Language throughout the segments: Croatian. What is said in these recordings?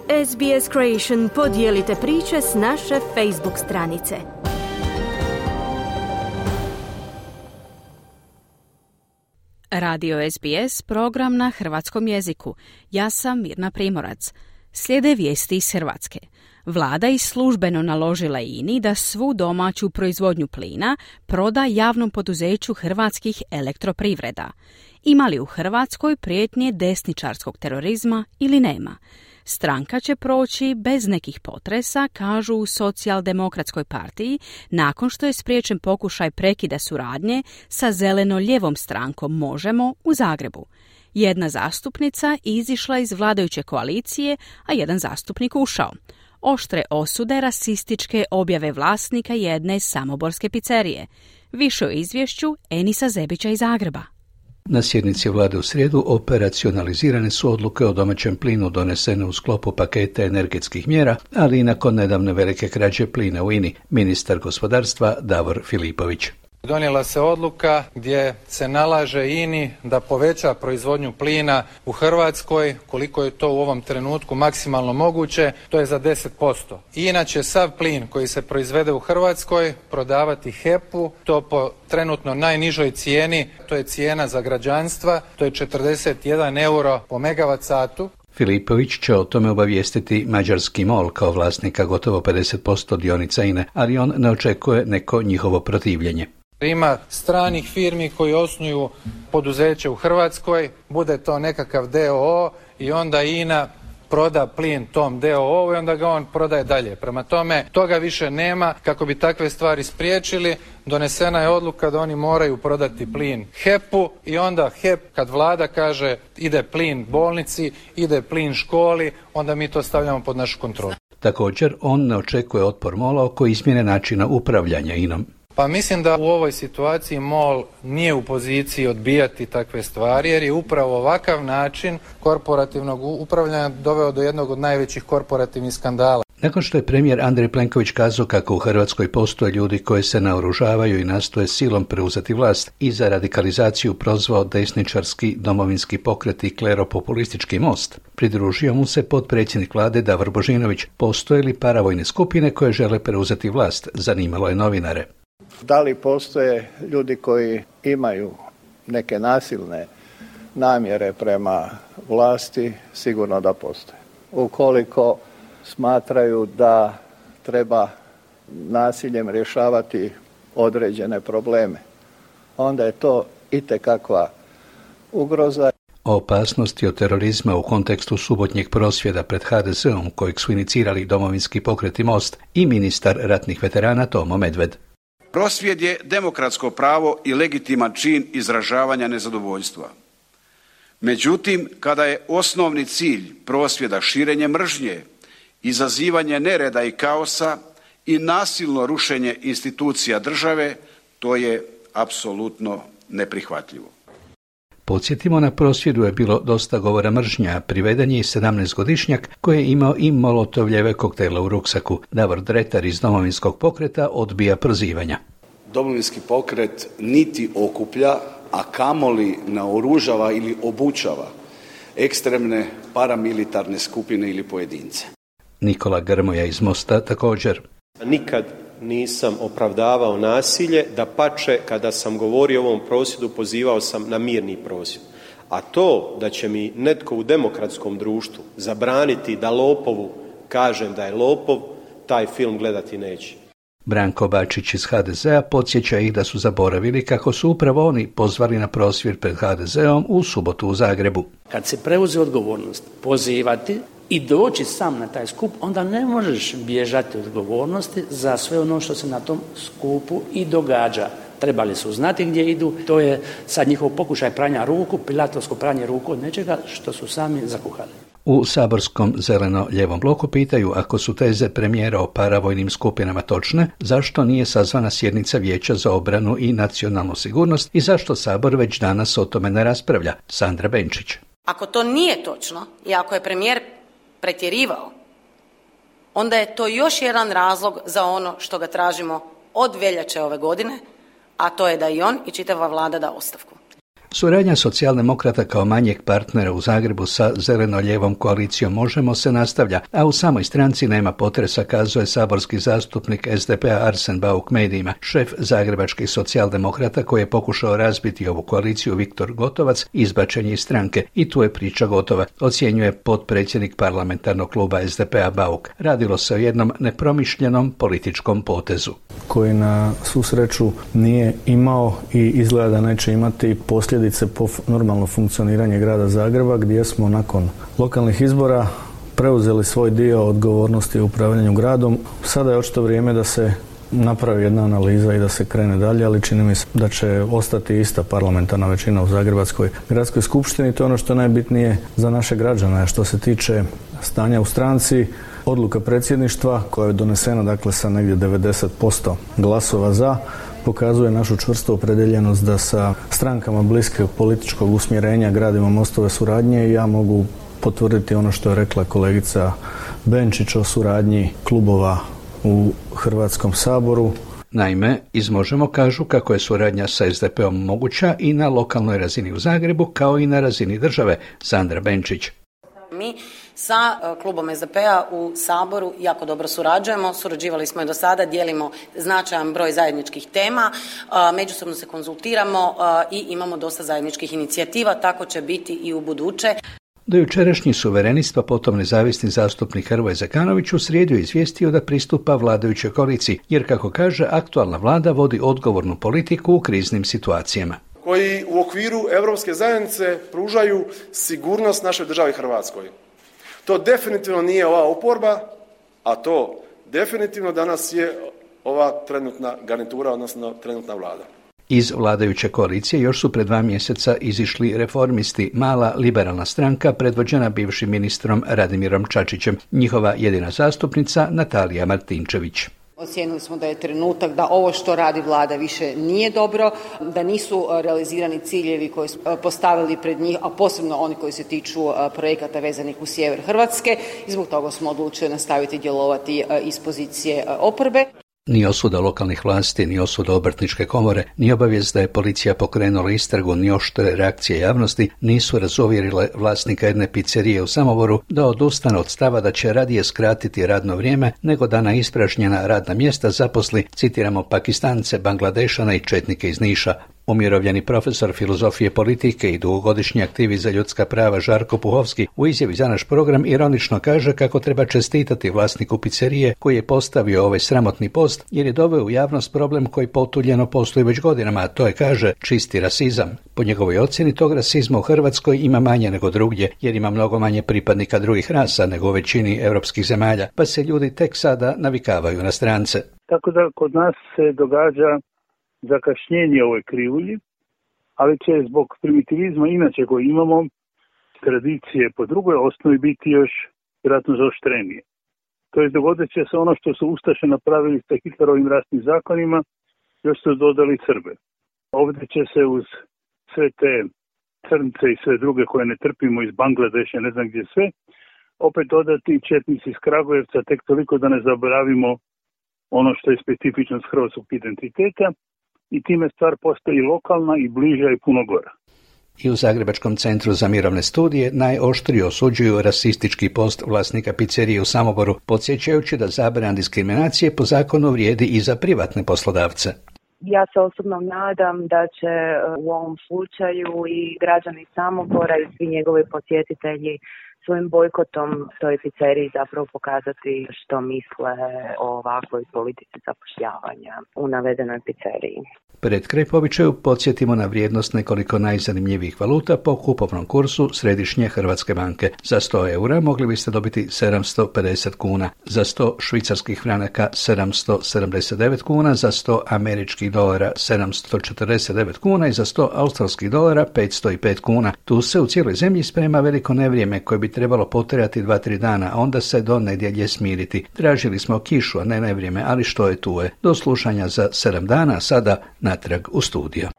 SBS Creation, podijelite priče s naše Facebook stranice. Radio SBS, program na hrvatskom jeziku. Ja sam Mirna Primorac. Slijede vijesti iz Hrvatske. Vlada je službeno naložila INA-i da svu domaću proizvodnju plina proda javnom poduzeću Hrvatskih elektroprivreda. Ima li u Hrvatskoj prijetnje desničarskog terorizma ili nema? Stranka će proći bez nekih potresa, kažu u Socijaldemokratskoj partiji, nakon što je spriječen pokušaj prekida suradnje sa zeleno-ljevom strankom Možemo u Zagrebu. Jedna zastupnica izišla iz vladajuće koalicije, a jedan zastupnik ušao. Oštre osude rasističke objave vlasnika jedne samoborske pizzerije. Više o izvješću Enisa Zebića iz Zagreba. Na sjednici vlade u srijedu operacionalizirane su odluke o domaćem plinu donesene u sklopu paketa energetskih mjera, ali i nakon nedavne velike krađe plina u INA-i, ministar gospodarstva Davor Filipović. Donijela se odluka gdje se nalaže INA-i da poveća proizvodnju plina u Hrvatskoj, koliko je to u ovom trenutku maksimalno moguće, to je za 10%. INA će sav plin koji se proizvede u Hrvatskoj prodavati HEP-u, to po trenutno najnižoj cijeni, to je cijena za građanstva, to je 41 euro po megavat satu. Filipović će o tome obavijestiti mađarski MOL kao vlasnika gotovo 50% dionica INA, ali on ne očekuje neko njihovo protivljenje. Ima stranih firmi koji osnuju poduzeće u Hrvatskoj, bude to nekakav DOO i onda INA proda plin tom DOO i onda ga on prodaje dalje. Prema tome, toga više nema. Kako bi takve stvari spriječili, donesena je odluka da oni moraju prodati plin HEP-u i onda HEP, kad vlada kaže ide plin bolnici, ide plin školi, onda mi to stavljamo pod našu kontrolu. Također, on ne očekuje otpor MOL-a oko izmjene načina upravljanja INA-om. Pa mislim da u ovoj situaciji MOL nije u poziciji odbijati takve stvari, jer je upravo ovakav način korporativnog upravljanja doveo do jednog od najvećih korporativnih skandala. Nakon što je premijer Andrej Plenković kazao kako u Hrvatskoj postoje ljudi koji se naoružavaju i nastoje silom preuzeti vlast i za radikalizaciju prozvao desničarski domovinski pokret i kleropopulistički Most, pridružio mu se potpredsjednik vlade Davor Božinović. Postoje li paravojne skupine koje žele preuzeti vlast, zanimalo je novinare. Da li postoje ljudi koji imaju neke nasilne namjere prema vlasti? Sigurno da postoje. Ukoliko smatraju da treba nasiljem rješavati određene probleme, onda je to itekakva ugroza. O opasnosti od terorizma u kontekstu subotnjeg prosvjeda pred HDZ-om kojeg su inicirali Domovinski pokret i Most i ministar ratnih veterana Tomo Medved. Prosvjed je demokratsko pravo i legitiman čin izražavanja nezadovoljstva. Međutim, kada je osnovni cilj prosvjeda širenje mržnje, izazivanje nereda i kaosa i nasilno rušenje institucija države, to je apsolutno neprihvatljivo. Podsjetimo, na prosvjedu je bilo dosta govora mržnja, priveden je i 17-godišnjak koji je imao i molotovljeve koktele u ruksaku. Davor Dretar iz Domovinskog pokreta odbija prozivanja. Domovinski pokret niti okuplja, a kamoli naoružava ili obučava ekstremne paramilitarne skupine ili pojedince. Nikola Grmoja iz Mosta također. Nikad nisam opravdavao nasilje, dapače, kada sam govorio o ovom prosvjedu pozivao sam na mirni prosvjed. A to da će mi netko u demokratskom društvu zabraniti da lopovu kažem da je lopov, taj film gledati neće. Branko Bačić iz HDZ-a podsjeća ih da su zaboravili kako su upravo oni pozvali na prosvjed pred HDZ-om u subotu u Zagrebu. Kad se preuzme odgovornost pozivati i doći sam na taj skup, onda ne možeš bježati od odgovornosti za sve ono što se na tom skupu i događa. Trebali su znati gdje idu, to je sad njihov pokušaj pranja ruku, pilatovsko pranje ruku od nečega što su sami zakuhali. U saborskom zeleno-ljevom bloku pitaju, ako su teze premijera o paravojnim skupinama točne, zašto nije sazvana sjednica Vijeća za obranu i nacionalnu sigurnost i zašto Sabor već danas o tome ne raspravlja? Sandra Benčić. Ako to nije točno i ako je premijer pretjerivao, onda je to još jedan razlog za ono što ga tražimo od veljače ove godine, a to je da i on i čitava vlada da ostavku. Suradnja socijaldemokrata kao manjeg partnera u Zagrebu sa zeleno-ljevom koalicijom Možemo se nastavlja, a u samoj stranci nema potresa, kazuje saborski zastupnik SDP-a Arsen Bauk medijima. Šef zagrebačkih socijaldemokrata koji je pokušao razbiti ovu koaliciju Viktor Gotovac izbačen je iz stranke i tu je priča gotova, ocjenjuje potpredsjednik parlamentarnog kluba SDP-a Bauk. Radilo se o jednom nepromišljenom političkom potezu. Koji na svu sreću nije imao i izgleda da neće imati posljedice po normalno funkcioniranje grada Zagreba, gdje smo nakon lokalnih izbora preuzeli svoj dio odgovornosti u upravljanju gradom. Sada je očito vrijeme da se napravi jedna analiza i da se krene dalje, ali čini mi se da će ostati ista parlamentarna većina u Zagrebačkoj gradskoj skupštini. To je ono što je najbitnije za naše građane. Što se tiče stanja u stranci, odluka predsjedništva koja je donesena dakle sa negdje 90% glasova za, pokazuje našu čvrstu opredjeljenost da sa strankama bliskog političkog usmjerenja gradimo mostove suradnje i ja mogu potvrditi ono što je rekla kolegica Benčić o suradnji klubova u Hrvatskom saboru. Naime, iz Možemo kažu kako je suradnja sa SDP-om moguća i na lokalnoj razini u Zagrebu kao i na razini države. Sandra Benčić. Mi sa klubom SDP-a u Saboru jako dobro surađivali smo i do sada, dijelimo značajan broj zajedničkih tema, međusobno se konzultiramo i imamo dosta zajedničkih inicijativa, tako će biti i u buduće. Do jučerašnji suverenist, pa potom nezavisni zastupnik Hrvoje Zekanović u srijedu je izvijestio da pristupa vladajućoj koaliciji, jer kako kaže, aktualna vlada vodi odgovornu politiku u kriznim situacijama. Koji u okviru Europske zajednice pružaju sigurnost našoj državi Hrvatskoj. To definitivno nije ova oporba, a to definitivno danas je ova trenutna garnitura, odnosno trenutna vlada. Iz vladajuće koalicije još su pred 2 mjeseca izišli Reformisti, mala liberalna stranka predvođena bivšim ministrom Radimirom Čačićem, njihova jedina zastupnica Natalija Martinčević. Ocijenili smo da je trenutak da ovo što radi vlada više nije dobro, da nisu realizirani ciljevi koji su postavili pred njih, a posebno oni koji se tiču projekata vezanih u sjever Hrvatske i zbog toga smo odlučili nastaviti djelovati iz pozicije oporbe. Ni osuda lokalnih vlasti, ni osuda obrtničke komore, ni obavijest da je policija pokrenula istragu, ni oštre reakcije javnosti nisu razuvjerile vlasnika jedne pizzerije u Samoboru da odustane od stava da će radije skratiti radno vrijeme nego da na ispražnjena radna mjesta zaposli, citiramo, Pakistance, Bangladešane i četnike iz Niša. Umirovljeni profesor filozofije politike i dugogodišnji aktivist za ljudska prava Žarko Puhovski u izjavi za naš program ironično kaže kako treba čestitati vlasniku pizzerije koji je postavio ovaj sramotni post jer je doveo u javnost problem koji potuljeno postoji već godinama, a to je, kaže, čisti rasizam. Po njegovoj ocjeni tog rasizma u Hrvatskoj ima manje nego drugdje jer ima mnogo manje pripadnika drugih rasa nego u većini europskih zemalja, pa se ljudi tek sada navikavaju na strance. Tako da kod nas se događa zakašnjenje ovoj krivulji, ali će zbog primitivizma inače koji imamo, tradicije po drugoj osnovi biti još vjerojatno zaoštrenije. To je dogodit će se ono što su Ustaše napravili sa Hitlerovim rasnim zakonima, još su dodali Srbe. Ovdje će se uz sve te crnce i sve druge koje ne trpimo iz Bangladeša, ne znam gdje sve, opet dodati četnici iz Kragujevca, tek toliko da ne zaboravimo ono što je specifičnost hrvatskog identiteta, i time stvar postaje lokalna i bliža i puno gora. I u Zagrebačkom centru za mirovne studije najoštrije osuđuju rasistički post vlasnika pizzerije u Samoboru, podsjećajući da zabrana diskriminacije po zakonu vrijedi i za privatne poslodavce. Ja se osobno nadam da će u ovom slučaju i građani Samobora i svi njegovi posjetitelji svojim bojkotom toj pizzeriji zapravo pokazati što misle o ovakvoj politici zapošljavanja u navedenoj pizzeriji. Pred kraj povičaju podsjetimo na vrijednost nekoliko najzanimljivijih valuta po kupovnom kursu Središnje Hrvatske banke. Za 100 eura mogli biste dobiti 750 kuna, za 100 švicarskih franaka 779 kuna, za 100 američkih dolara 749 kuna i za 100 australskih dolara 505 kuna. Tu se u cijeloj zemlji sprema veliko nevrijeme koje bi trebalo potrajati 2-3 dana, a onda se do nedjelje smiriti. Tražili smo kišu, a ne nevrijeme, ali što je tu je. Do slušanja za 7 dana, sada natrag u studio.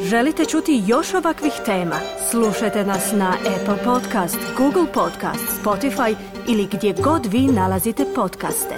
Želite čuti još ovakvih tema? Slušajte nas na Apple Podcast, Google Podcast, Spotify ili gdje god vi nalazite podcaste.